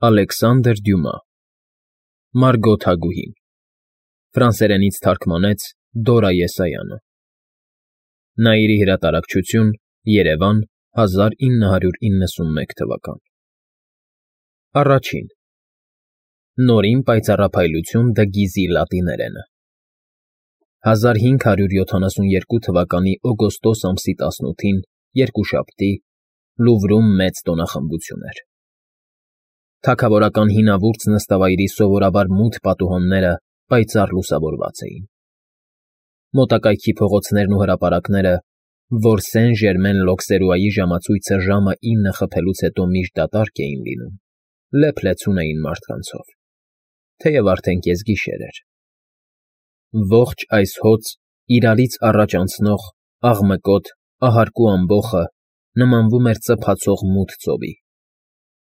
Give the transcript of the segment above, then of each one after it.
Ալեքսանդր Դյումա Մարգո թագուհին Ֆրանսերենից թարգմանեց Դորա Եսայանը Նաիրի հրատարակչություն Երևան 1991 թվական Առաջին Նորին պայծառափայլություն դը Գիզի լատիներենը 1572 թվականի օգոստոս ամսի 18-ին երկուշաբթի Լուվրում մեծ տոնախմբություն էր Թագավորական հինավուրց նստավայրի սովորաբար մութ պատուհանները պայծառ լուսավորված էին Մոտակայքի փողոցներն ու հրապարակները, որ Սեն Ժերմեն Լոքսերուայի ժամացույցը ժամը 9 խփելուց հետո միշտ դատարկ էին լինում, լեփ-լեցուն էին մարդկանցով, թեև արդեն կեսգիշեր էր Ողջ այս հոծ, իրարից առաջ անցնող, աղմկոտ, ահարկու ամբոխը նմանվում էր ծփացող մութ ծովի,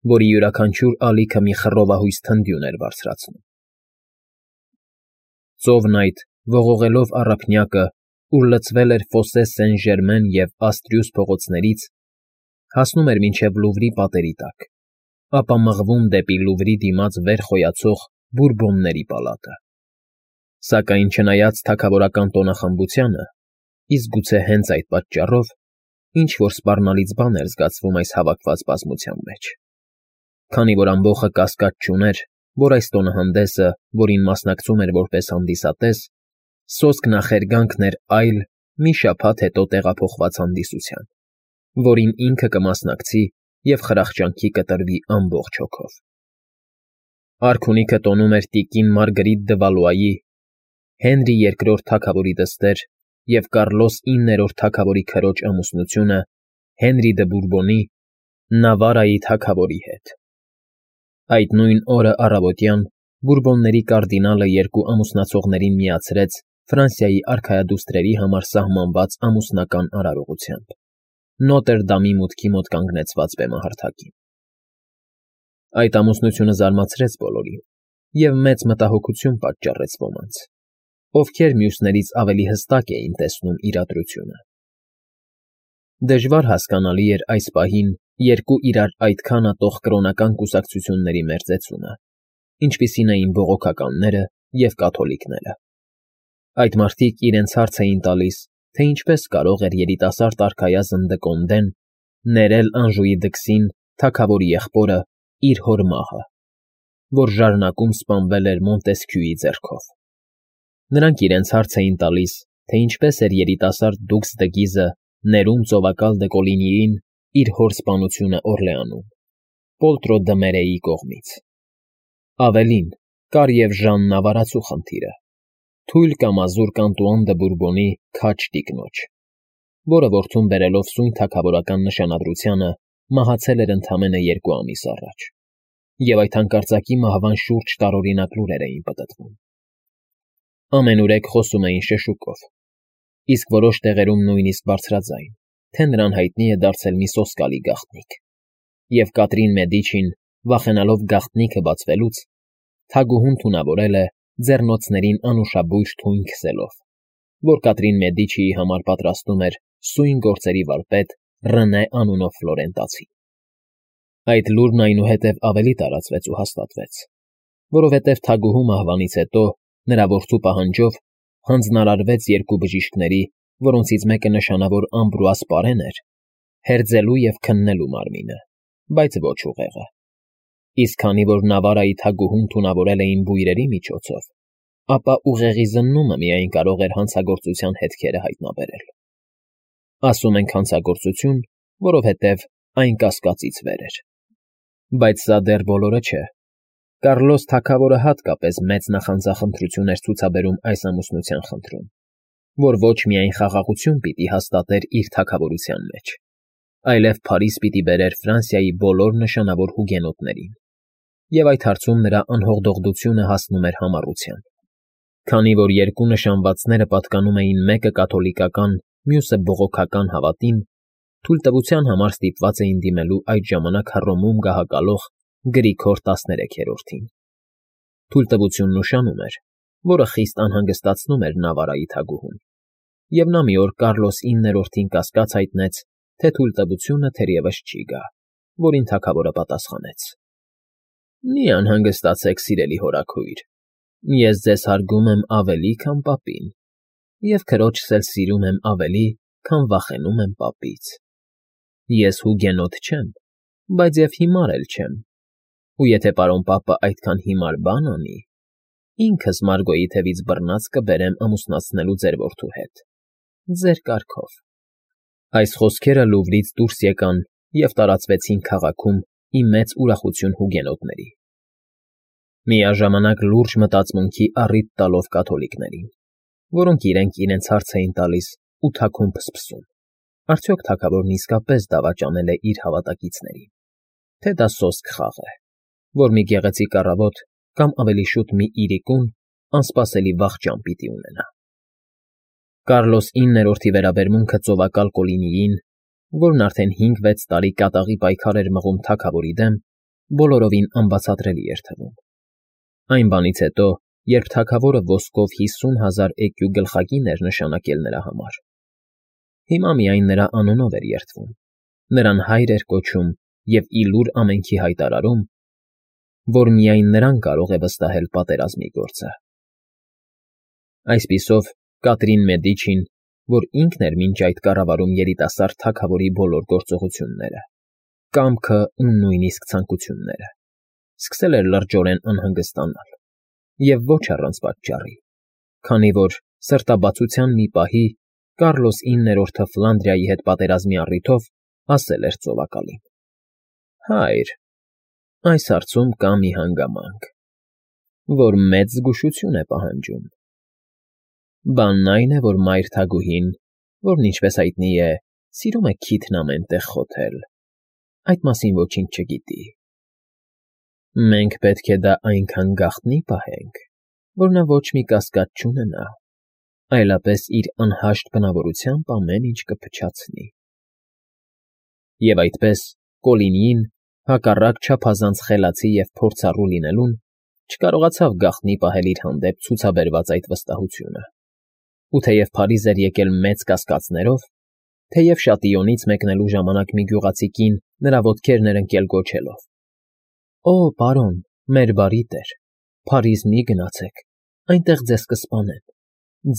որի յուրաքանչյուր ալիքը մի խռովահույս թնդյուն էր բարձրացնում Ծովն այդ, ողողելով առափնյակը, ուր լցվել էր Ֆոսե Սեն Ժերմեն և Աստրյուս փողոցներից, հասնում էր մինչև Լուվրի պատերի տակ, ապա մղվում դեպի Լուվրի դիմաց վեր խոյացող Բուրբոնների պալատը Սակայն չնայած թագավորական տոնախմբությանը, իսկ գուցե հենց այդ պատճառով, ինչ-որ սպառնալից բան էր զգացվում այս հավաքված բազմության մեջ, քանի որ ամբոխը կասկած չուներ, որ այս տոնահանդեսը, որին մասնակցում էր որպես հանդիսատես, սոսկ նախերգանքն էր այլ, մի շաբաթ հետո տեղափոխված հանդիսության, որին ինքը կմասնակցի և խրախճանքի կտրվի ամբողջ հոգով Արքունիքը տոնում էր տիկին Մարգրիտ դը Վալուայի, Հենրի II թագավորի դստեր և Կարլոս IX թագավորի քրոջ ամուսնությունը Հենրի դը Բուրբոնի, Նավարայի թագավորի հետ Այդ նույն օրը առավոտյան Բուրբոնների կարդինալը երկու ամուսնացողներին միացրեց Ֆրանսիայի արքայադուստրերի համար սահմանված ամուսնական արարողությամբ, Նոտրդամի մուտքի մոտ կանգնեցված բեմահարթակին Այդ ամուսնությունը զարմացրեց բոլորին և մեծ մտահոգություն պատճառեց ոմանց, ովքեր մյուսներից ավելի հստակ էին տեսնում իրադրությունը Դժվար հասկանալի էր այս պահին երկու իրար այդքան ատող կրոնական կուսակցությունների մերձեցումը, ինչպիսին էին բողոքականները և կաթոլիկները Այդ մարդիկ իրենց հարց էին տալիս, թե ինչպես կարող էր երիտասարդ արքայազն դը Կոնդեն ներել Անժուի դքսին թագավորի եղբորը իր հոր մահը, որ ժառնակում սպանվել էր Մոնտեսքյուի ձեռքով Նրանք իրենց հարց էին տալիս, թե ինչպես էր երիտասարդ դուքս դը Գիզը ներում ծովակալ դը Կոլինիին իր հոր սպանությունը Օրլեանում, Պոլտրո դը Մերեի կողմից Ավելին, կար և Ժան Նավարացու խնդիրը, թույլ կամ ազուր Կանտուան դը Բուրբոնի քաջ տիկնոջ, որը որդուն բերելով սույն թագավորական նշանադրությանը մահացել էր ընդամենը 2 ամիս առաջ, և այդ հանկարծակի մահվան շուրջ տարօրինակ լուրեր էին պտտվում Ամենուրեք խոսում էին շշուկով, իսկ որոշ տեղերում նույնիսկ բարձրաձայն, թե նրան հայտնի է դարձել մի սոսկալի գաղտնիք, և Կատրին Մեդիչին, վախենալով գաղտնիքը բացվելուց, թագուհուն թունավորել է ձեռնոցներին անուշաբույր թույն քսելով, որ Կատրին Մեդիչիի համար պատրաստում էր սույն գործերի վարպետ Ռենե անունով ֆլորենտացի Այդ լուրն այնուհետև ավելի տարածվեց ու հաստատվեց, որովհետև թագուհու մահվանից հետո, նրա որդու պահանջով, հանձնարարվեց երկու բժիշկների, որոնցից մեկը նշանավոր Ամբրուաս Պարեն էր, հերձելու և քննելու մարմինը, բայց ոչ ուղեղը, իսկ քանի որ Նավարայի թագուհուն թունավորել էին բույրերի միջոցով, ապա ուղեղի զննումը միայն կարող էր հանցագործության հետքերը հայտնաբերել Ասում ենք հանցագործություն, որովհետև այն կասկածից վեր էր Բայց սա դեռ բոլորը չէ Կարլոս թագավորը հատկապես մեծ նախանձախնդրություն էր ցուցաբերում այս ամուսնության խնդրում, որ ոչ միայն խաղաղություն պիտի հաստատեր իր թագավորության մեջ, այլև Փարիզ պիտի բերեր Ֆրանսիայի բոլոր նշանավոր հուգենոտներին, և այդ հարցում նրա անհողդողդությունը հասնում էր համառության, քանի որ երկու նշանվածները պատկանում էին մեկը կաթոլիկական, մյուսը բողոքական հավատին, թույլտվության համար ստիպված էին դիմելու այդ ժամանակ Հռոմում գահակալող Գրիգոր 13-ին Թույլտվությունն ուշանում էր, որը խիստ անհանգստացնում էր Նավարայի թագուհուն, և նա մի օր Կարլոս IX-ին կասկած հայտնեց, թե թույլտվությունը թերևս չի գա, որին թագավորը պատասխանեց. Մի անհանգստացեք, սիրելի հորաքույր, ես ձեզ հարգում եմ ավելի, քան պապին, և քրոջս էլ սիրում եմ ավելի, քան վախենում եմ պապից։ Ես հուգենոտ չեմ, բայց և հիմար էլ չեմ, ու եթե պարոն պապը այդքան հիմար բան անի, ինքս Մարգոյի թևից բռնած կբերեմ ամուսնացնելու ձեր որդու հետ, ձեր կարգով։ Այս խոսքերը Լուվրից դուրս եկան և տարածվեցին քաղաքում ի մեծ ուրախություն հուգենոտների, միաժամանակ լուրջ մտածմունքի առիթ տալով կաթոլիկներին, որոնք իրենց հարց էին տալիս ու թաքուն փսփսում. արդյոք թագավորն իսկապես դավաճանել է իր հավատակիցներին, թե դա սոսկ խաղ է, որ մի գեղեցիկ առավոտ կամ ավելի շուտ մի իրիկուն անսպասելի վախճան պիտի ունենա։ Կարլոս 9-րդի վերաբերմունքը ծովակալ Կոլինիին, որն արդեն 5-6 տարի կատաղի պայքար էր մղում թագավորի դեմ, բոլորովին անբացատրելի էր թվում։ Այն բանից հետո, երբ թագավորը ոսկով 50,000 էկյու գլխակին էր նշանակել նրա համար, հիմա միայն նրա անունով էր երդվում, նրան հայր էր կոչում և ի լուր ամենքի հայտարարում, որ միայն նրան կարող է վստահել պատերազմի գործը։ Այսպիսով, Կատրին Մեդիչին, որ ինքն էր մինչ այդ կառավարում երիտասարդ թագավորի բոլոր գործողությունները, կամքը ու նույնիսկ ցանկությունները, սկսել էր լրջորեն անհանգստանալ, և ոչ առանց պատճառի, քանի որ սրտաբացության մի պահի Կարլոս 9-րդը Ֆլանդրիայի հետ պատերազմի առիթով ասել էր ծովակալին. «Հայր, այս հարցում կա մի հանգամանք, որ մեծ զգուշություն է պահանջում։ Բանն այն է, որ մայր թագուհին, որն, ինչպես հայտնի է, սիրում է քիթն ամեն տեղ խոթել, այդ մասին ոչինչ չգիտի։ Մենք պետք է դա այնքան գաղտնի պահենք, որ նա ոչ մի կասկած չունենա, այլապես իր անհաշտ բնավորությամբ ամեն ինչ կփչացնի»։ Եվ այդպես Կոլինին, հակառակ չափազանց խելացի և փորձառու լինելուն, չկարողացավ գաղտնի պահել իր հանդեպ ցուցաբերված այդ վստահությունը, ու թեև Փարիզ էր եկել մեծ կասկածներով, թեև Շատիոնից մեկնելու ժամանակ մի գյուղացի կին նրա ոտքերն էր ընկել գոչելով. «Օ, պարոն, մեր բարի տեր, Փարիզ մի գնացեք, այնտեղ ձեզ կսպանեն,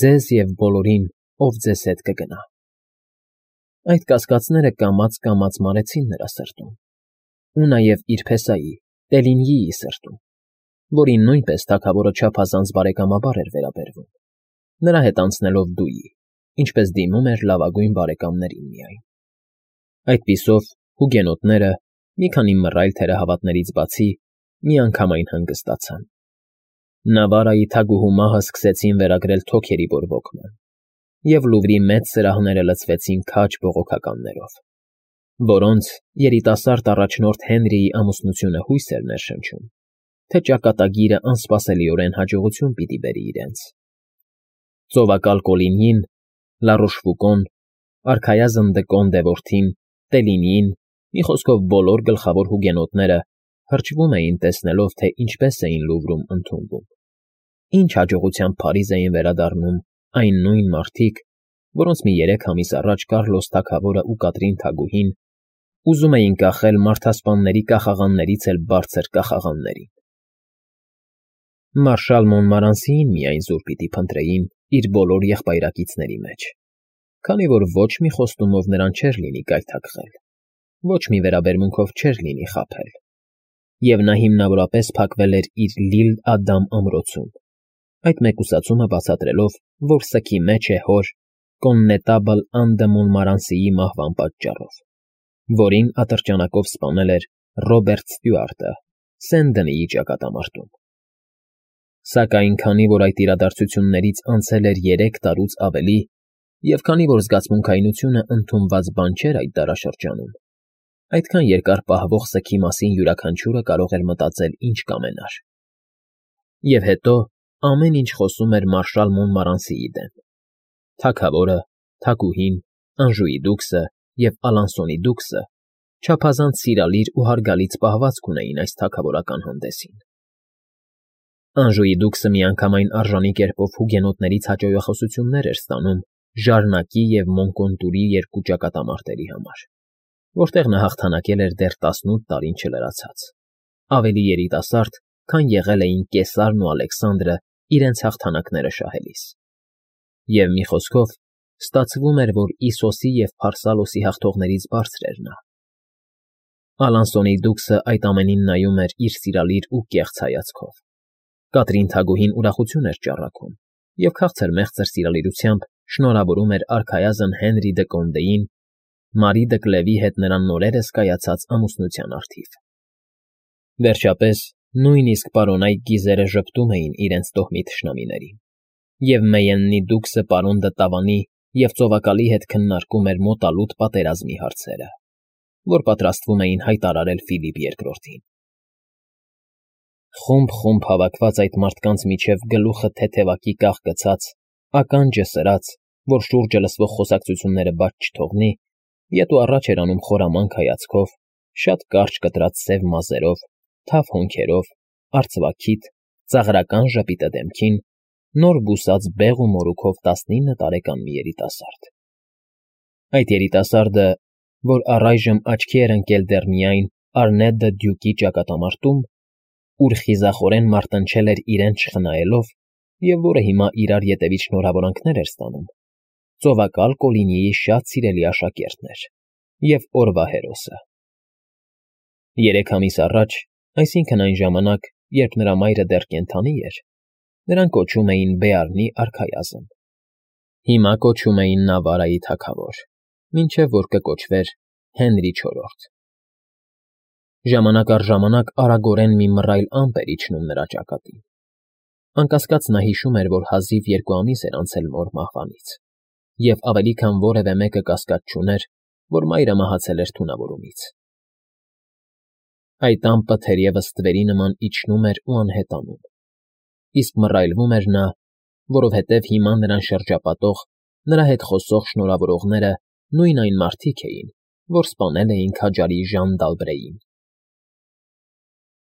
ձեզ և բոլորին, ով ձեզ հետ կգնա»։ Այդ կասկածները կամաց մարեցին նրա սրտում, ու նաև իր փեսայի, Տելինյիի սրտում, որին նույնպես թագավորը չափազանց բարեկամաբար էր վերաբերվում, նրա հետ անցնելով դույի, ինչպես դիմում էր լավագույն բարեկամներին միայն։ Այդպիսով հուգենոտները, մի քանի մռայլ թերահավատներից բացի, միանգամայն հանգստացան։ Նավարայի թագուհու մահը սկսեցին վերագրել թոքերի բորբոքման, և Լուվրի մեծ սրահները լցվեցին քաջ բողոքականներով, որոնց երիտասարդ առաջնորդ Հենրիի ամուսնությունը հույս էր ներշնչում, թե ճակատագիրը անսպասելիորեն հաջողություն պիտի բերի իրենց։ Ծովակալ Կոլինին, Լարոշֆուկոն, արքայազն Դկոն Դևորդին, Տելինին, մի խոսքով բոլոր գլխավոր հուգենոտները հրճվում էին տեսնելով, թե ինչպես էին Լուվրում ընդունվում, ինչ հաջողությամբ Փարիզ էին վերադառնում այն նույն մարդիկ, որոնց մի 3 ամիս առաջ Կարլոս թագավորը ու Կատրին թագուհին ուզում էին կախել մարդասպանների կախաղաններից էլ բարձր կախաղաններին։ Մարշալ Մոնմարանսիին միայն զուր պիտի փնտրեին իր բոլոր եղբայրակիցների մեջ, քանի որ ոչ մի խոստումով նրան չէր լինի գայթակղել, ոչ մի վերաբերմունքով չէր լինի խաբել, և նա հիմնավորապես փակվել էր իր Լիլ֊Ադամ ամրոցում, այդ մեկուսացումը բացատրելով, որ սգի մեջ է հոր Կոննետաբլ Ան դը Մոնմարանսիի մահվան պատճառով, որին ատրճանակով սպանել էր Ռոբերտ Ստյուարտը Սեն֊Դնիի ճակատամարտում։ Սակայն քանի որ այդ իրադարձություններից անցել էր 3 տարուց ավելի, և քանի որ զգացմունքայնությունը ընդունված բան չէր այդ դարաշրջանում, այդքան երկար պահվող սգի մասին յուրաքանչյուրը կարող էր մտածել ինչ կամենար։ Եվ հետո ամեն ինչ խոսում էր մարշալ Մոնմարանսիի դեմ։ Թագավորը, թագուհին, Անժուի դուքսը և Ալանսոնի դուքսը չափազանց սիրալիր ու հարգալից պահվածք ունեին այս թագավորական հանդեսին։ Անժուի դուքսը միանգամայն արժանի կերպով հուգենոտներից հաճոյախոսություններ էր ստանում Ժարնակի և Մոնկոնտուրի 2 ճակատամարտերի համար, որտեղ նա հաղթանակել էր դեռ 18 տարին չլրացած, ավելի երիտասարդ, քան եղել էին Կեսարն ու Ալեքսանդրը իրենց հաղթանակները շահելիս։ Եվ մի խոսքով, ստացվում էր, որ Իսոսի և Փարսալոսի հաղթողներից բարձր էր նա։ Ալանսոնի դուքսը այդ ամենին նայում էր իր սիրալիր ու կեղծ հայացքով։ Կատրին թագուհին ուրախություն էր ճառագում և քաղցր մեղծր սիրալիրությամբ շնորհավորում էր արքայազն Հենրի դը Կոնդեին Մարի դը Կլևի հետ նրան նորերս կայացած ամուսնության առթիվ։ Վերջապես, նույնիսկ պարոնայք գիզերը ժպտում էին իրենց տոհմի թշնամիներին, և Մեյեննի դուքսը պարոն դը Տավանի և ծովակալի հետ քննարկում էր մոտալուտ պատերազմի հարցերը, որ պատրաստվում էին հայտարարել Ֆիլիպ II-ին։ Խումբ հավաքված այդ մարդկանց միջև գլուխը թեթևակի կաղ գցած, ականջը սրած, որ շուրջը լսվող խոսակցությունները բաց չթողնի, ետ ու առաջ էր անում խորամանկ հայացքով, շատ կարճ կտրած սև մազերով, թավ հոնքերով, արծվաքիթ, ծաղրական ժպիտը դեմքին, նոր բուսած բեղ ու մորուքով 19 տարեկան մի երիտասարդ։ Այդ երիտասարդը, որ առայժմ աչքի էր ընկել դեռ միայն Արնետ դը Դյուկի ճակատամարտում, ուր խիզախորեն մարտնչել էր իրեն չխնայելով և որը հիմա իրար ետևից շնորհավորանքներ էր ստանում, ծովակալ Կոլինիի շատ սիրելի աշակերտն էր և օրվա հերոսը։ 3 ամիս առաջ, այսինքն այն ժամանակ, երբ նրա մայրը դեռ կենդանի էր, նրան կոչում էին Բեարնի արքայազն։ Հիմա կոչում էին Նավարայի թագավոր, մինչև որ կկոչվեր Հենրի IV։ Ժամանակ առ ժամանակ արագորեն մի մռայլ ամպ էր իջնում նրա ճակատին։ Անկասկած նա հիշում էր, որ հազիվ 2 ամիս էր անցել մոր մահվանից, և ավելի քան որևէ մեկը կասկած չուներ, որ մայրը մահացել էր թունավորումից։ Այդ ամպը թերևս ստվերի նման իջնում էր ու անհետանում, իսկ մռայլվում էր նա, որովհետև հիմա նրան շրջապատող, նրա հետ խոսող շնորհավորողները նույն այն մարդիկ էին, որ սպանել էին քաջարի Ժան դ'Ալբրեին։